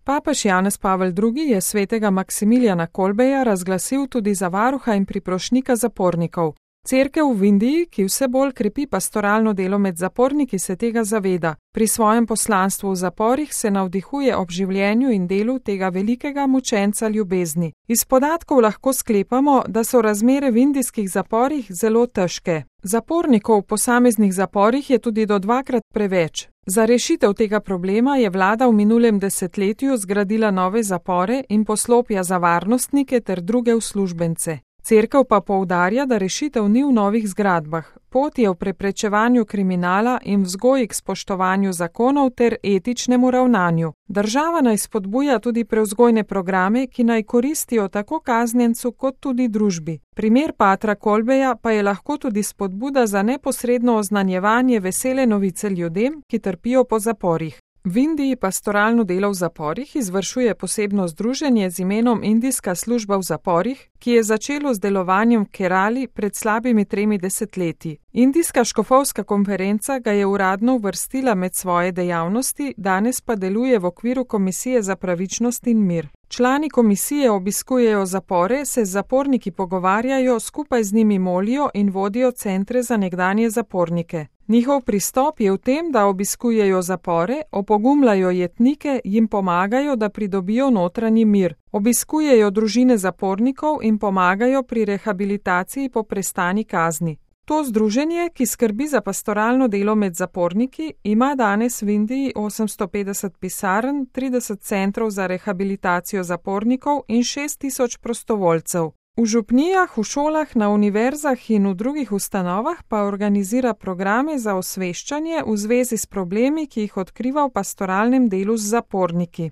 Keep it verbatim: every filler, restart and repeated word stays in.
Papež Janez Pavel drugi je svetega Maksimilijana Kolbeja razglasil tudi za varuha in priprošnika zapornikov. Cerkev v Indiji, ki vse bolj krepi pastoralno delo med zaporniki, se tega zaveda. Pri svojem poslanstvu v zaporih se navdihuje ob življenju in delu tega velikega mučenca ljubezni. Iz podatkov lahko sklepamo, da so razmere v indijskih zaporih zelo težke. Zapornikov v posameznih zaporih je tudi do dvakrat preveč. Za rešitev tega problema je vlada v minulem desetletju zgradila nove zapore in poslopja za varnostnike ter druge uslužbence. Cerkev pa poudarja, da rešitev ni v novih zgradbah. Pot je v preprečevanju kriminala in vzgoji k spoštovanju zakonov ter etičnemu ravnanju. Država naj spodbuja tudi prevzgojne programe, ki naj koristijo tako kaznjencu kot tudi družbi. Primer patra Kolbeja pa je lahko tudi spodbuda za neposredno oznanjevanje vesele novice ljudem, ki trpijo po zaporih. V Indiji pastoralno delo v zaporih izvršuje posebno združenje z imenom Indijska služba v zaporih, ki je začelo z delovanjem v Kerali pred slabimi tremi desetletji. Indijska škofovska konferenca ga je uradno uvrstila med svoje dejavnosti, danes pa deluje v okviru Komisije za pravičnost in mir. Člani komisije obiskujejo zapore, se z zaporniki pogovarjajo, skupaj z njimi molijo in vodijo centre za nekdanje zapornike. Njihov pristop je v tem, da obiskujejo zapore, opogumljajo jetnike, jim pomagajo, da pridobijo notranji mir. Obiskujejo družine zapornikov in pomagajo pri rehabilitaciji po prestani kazni. To združenje, ki skrbi za pastoralno delo med zaporniki, ima danes v Indiji osemsto petdeset pisarn, trideset centrov za rehabilitacijo zapornikov in šest tisoč prostovoljcev. V župnijah, v šolah, na univerzah in v drugih ustanovah pa organizira programe za osveščanje v zvezi s problemi, ki jih odkriva v pastoralnem delu z zaporniki.